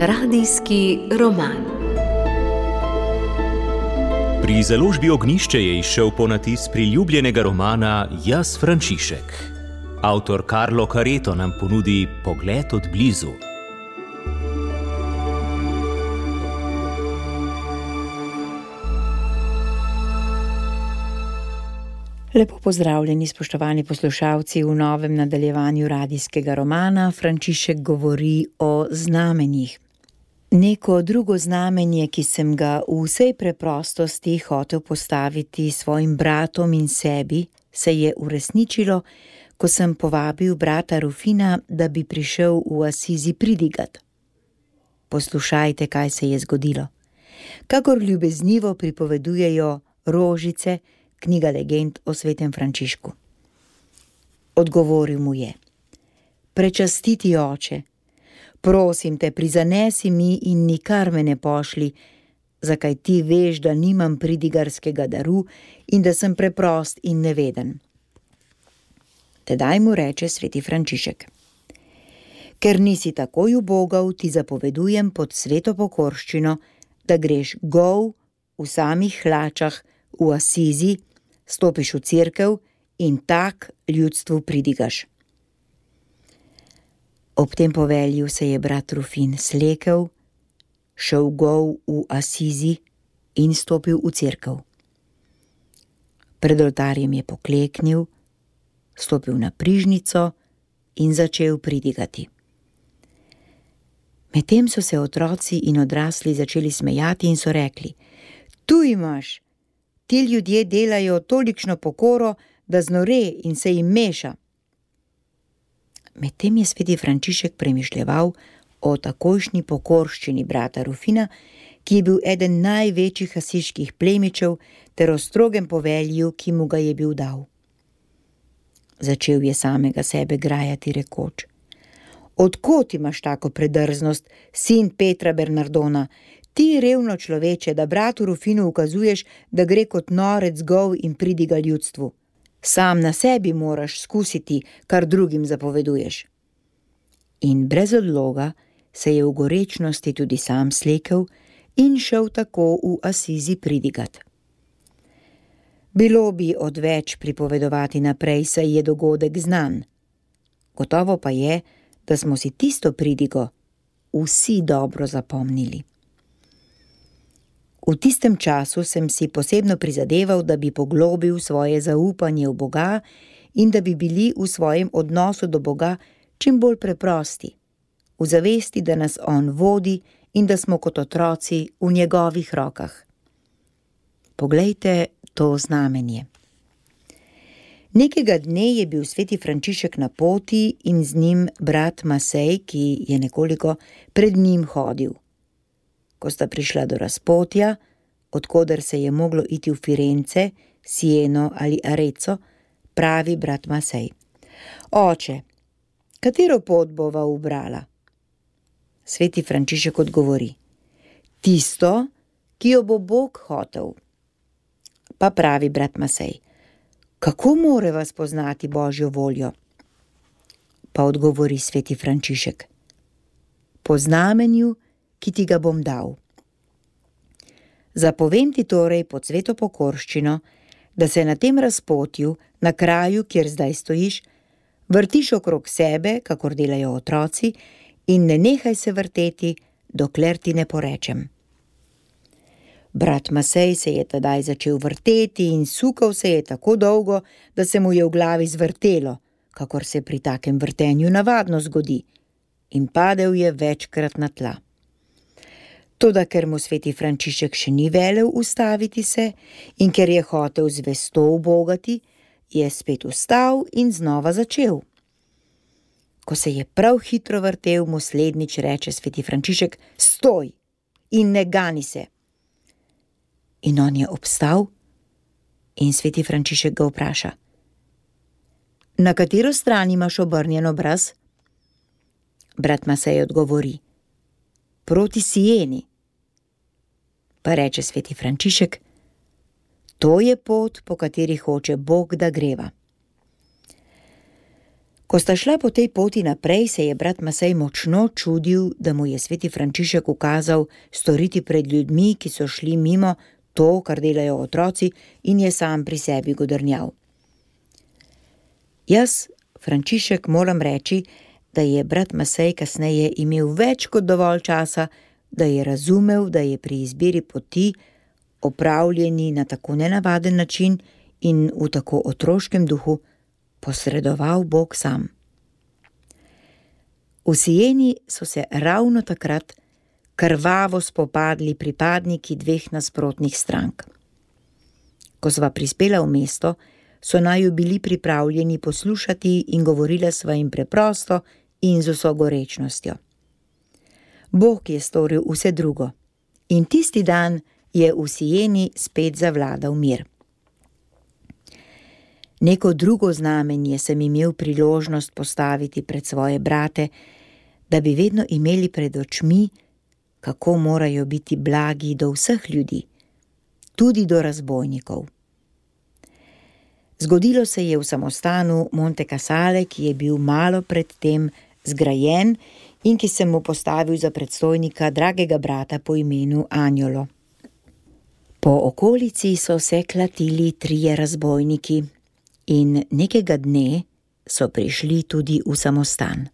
Radijski roman. Pri založbi Ognjišče je izšel ponatis priljubljenega romana Jaz Frančišek. Avtor Carlo Careto nam ponudi pogled od blizu. Lepo pozdravljeni, spoštovani poslušalci, v novem nadaljevanju radijskega romana Frančišek govori o znamenjih. Neko drugo znamenje, ki sem ga v vsej preprostosti hotel postaviti svojim bratom in sebi, se je uresničilo, ko sem povabil brata Rufina, da bi prišel v Asizi pridigat. Poslušajte, kaj se je zgodilo. Kakor ljubeznivo pripovedujejo Rožice, knjiga legend o svetem Frančišku. Odgovoril mu je: Prečastiti oče, prosim te, prizanesi mi in nikar me ne pošli, zakaj ti veš, da nimam pridigarskega daru in da sem preprost in neveden. Tedaj mu reče sveti Frančišek: Ker nisi takoj ubogal, ti zapovedujem pod sveto pokorščino, da greš gol v samih hlačah v Asizi, stopiš v cerkev in tak ljudstvu pridigaš. Ob tem povelju se je brat Rufin slekel, šel gol v Asizi in stopil v cerkev. Pred oltarjem je pokleknil, stopil na prižnico in začel pridigati. Medtem so se otroci in odrasli začeli smejati in so rekli: Tu imaš! Ti ljudje delajo tolikšno pokoro, da znore in se jim meša. Medtem je sveti Frančišek premišljeval o takojšnji pokorščini brata Rufina, ki je bil eden največjih asiških plemičev, ter o strogem povelju, ki mu ga je bil dal. Začel je samega sebe grajati rekoč: Od kod imaš tako predrznost, sin Petra Bernardona? Ti revno človeče, da bratu Rufinu ukazuješ, da gre kot norec gol in pridiga ljudstvu. Sam na sebi moraš skusiti, kar drugim zapoveduješ. In brez odloga se je v gorečnosti tudi sam slekel in šel tako v Asizi pridigat. Bilo bi odveč pripovedovati naprej, saj je dogodek znan. Gotovo pa je, da smo si tisto pridigo vsi dobro zapomnili. V tistem času sem si posebno prizadeval, da bi poglobil svoje zaupanje v Boga in da bi bili v svojem odnosu do Boga čim bolj preprosti, v zavesti, da nas On vodi in da smo kot otroci v njegovih rokah. Poglejte to znamenje. Nekega dne je bil sveti Frančišek na poti in z njim brat Masej, ki je nekoliko pred njim hodil. Ko sta prišla do razpotja, odkoder se je moglo iti v Firence, Sieno ali Arezzo, pravi brat Masej: Oče, katero pot bova ubrala? Sveti Frančišek odgovori: Tisto, ki jo bo Bog hotel. Pa pravi brat Masej: Kako moreva spoznati Božjo voljo? Pa odgovori sveti Frančišek: Po znamenju, ki ti ga bom dal. Zapovem ti torej pod sveto pokorščino, da se na tem razpotju, na kraju, kjer zdaj stojiš, vrtiš okrog sebe, kakor delajo otroci, in ne nehaj se vrteti, dokler ti ne porečem. Brat Masej se je tedaj začel vrteti in sukal se je tako dolgo, da se mu je v glavi zvrtelo, kakor se pri takem vrtenju navadno zgodi, in padel je večkrat na tla. Toda ker mu sveti Frančišek še ni velel ustaviti se in ker je hotel zvesto ubogati, je spet vstal in znova začel. Ko se je prav hitro vrtel, mu slednjič reče sveti Frančišek: Stoj in ne gani se. In on je obstal in sveti Frančišek ga vpraša: Na katero stran imaš obrnjen obraz? Brat Masej odgovori: Proti Sieni. Pa reče sveti Frančišek: To je pot, po kateri hoče Bog, da greva. Ko sta šla po tej poti naprej, se je brat Masej močno čudil, da mu je sveti Frančišek ukazal storiti pred ljudmi, ki so šli mimo, to, kar delajo otroci, in je sam pri sebi godrnjal. Jaz, Frančišek, moram reči, da je brat Masej kasneje imel več kot dovolj časa, da je razumel, da je pri izbiri poti, opravljeni na tako nenavaden način in v tako otroškem duhu, posredoval Bog sam. V Sieni so se ravno takrat krvavo spopadli pripadniki dveh nasprotnih strank. Ko sva prispela v mesto, so naju bili pripravljeni poslušati in govorila sva jim preprosto in z vso gorečnostjo. Bog je storil vse drugo in tisti dan je v Sieni spet zavladal mir. Neko drugo znamenje sem imel priložnost postaviti pred svoje brate, da bi vedno imeli pred očmi, kako morajo biti blagi do vseh ljudi, tudi do razbojnikov. Zgodilo se je v samostanu Monte Casale, ki je bil malo pred tem zgrajen in ki sem mu postavil za predstojnika dragega brata po imenu Anjolo. Po okolici so se klatili 3 razbojniki in nekega dne so prišli tudi v samostan.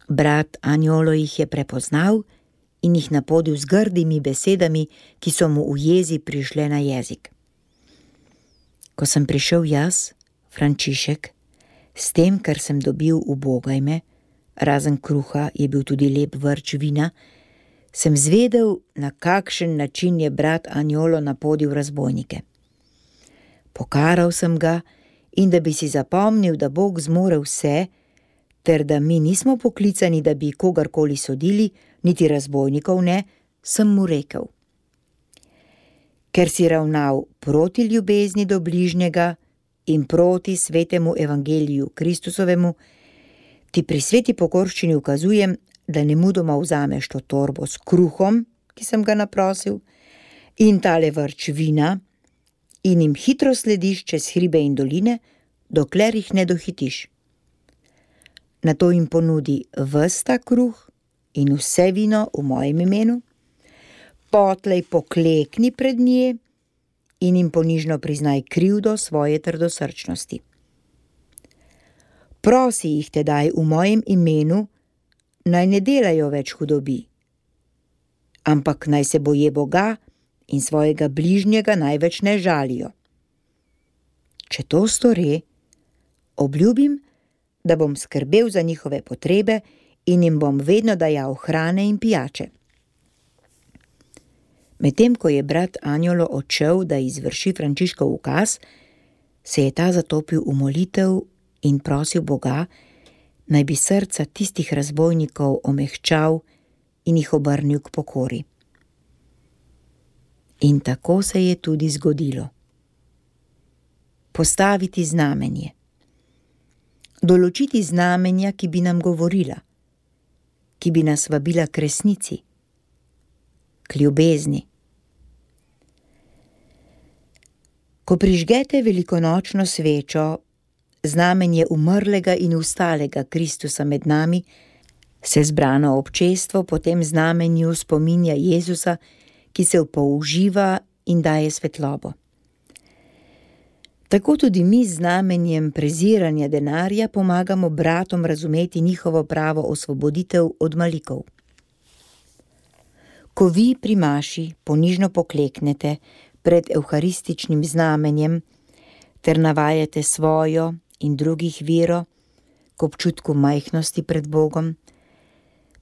Brat Anjolo jih je prepoznal in jih napodil z grdimi besedami, ki so mu v jezi prišle na jezik. Ko sem prišel jaz, Frančišek, s tem, kar sem dobil v Bogajme, razen kruha je bil tudi lep vrč vina, sem zvedel, na kakšen način je brat Anjolo napodil razbojnike. Pokaral sem ga in da bi si zapomnil, da Bog zmore vse, ter da mi nismo poklicani, da bi kogarkoli sodili, niti razbojnikov ne, sem mu rekel: ker si ravnal proti ljubezni do bližnjega in proti svetemu evangeliju Kristusovemu, ti pri sveti pokorščini ukazujem, da nemudoma vzameš to torbo s kruhom, ki sem ga naprosil, in tale vrč vina, in jim hitro slediš čez hribe in doline, dokler jih ne dohitiš. Nato jim ponudi ves ta kruh in vse vino v mojem imenu, potlej poklekni pred nje in jim ponižno priznaj krivdo svoje trdosrčnosti. Prosi jih tedaj v mojem imenu, naj ne delajo več hudobi, ampak naj se boje Boga in svojega bližnjega največ ne žalijo. Če to stori, obljubim, da bom skrbel za njihove potrebe in jim bom vedno dajal hrane in pijače. Medtem ko je brat Anjolo odšel, da izvrši Frančiškov ukaz, se je ta zatopil v molitev in prosil Boga, naj bi srca tistih razbojnikov omehčal in jih obrnil k pokori. In tako se je tudi zgodilo. Postaviti znamenje. Določiti znamenja, ki bi nam govorila, ki bi nas vabila k resnici, k ljubezni. Ko prižgete velikonočno svečo, znamenje umrlega in vstalega Kristusa med nami, se zbrano občestvo po tem znamenju spominja Jezusa, ki se použiva in daje svetlobo. Tako tudi mi z znamenjem preziranja denarja pomagamo bratom razumeti njihovo pravo osvoboditev od malikov. Ko vi pri maši ponižno pokleknete pred evharističnim znamenjem ter navajate svojo in drugih vero k občutku majhnosti pred Bogom,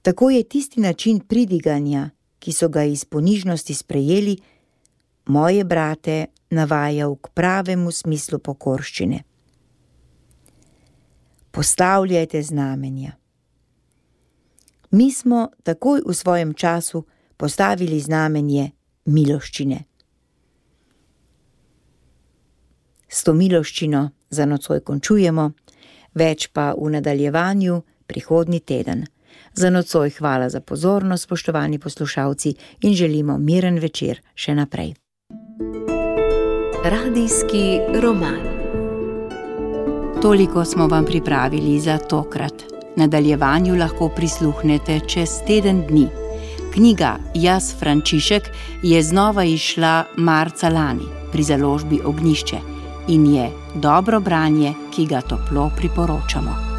tako je tisti način pridiganja, ki so ga iz ponižnosti sprejeli, moje brate navajal k pravemu smislu pokorščine. Postavljajte znamenja. Mi smo takoj v svojem času postavili znamenje miloščine. S to miloščino za nocoj končujemo, več pa v nadaljevanju prihodnji teden. Za nocoj hvala za pozornost, spoštovani poslušalci, in želimo miren večer še naprej. Radijski roman. Toliko smo vam pripravili za tokrat. Nadaljevanju lahko prisluhnete čez teden dni. Knjiga Jaz Frančišek je znova izšla marca lani pri založbi Ognjišče in je dobro branje, ki ga toplo priporočamo.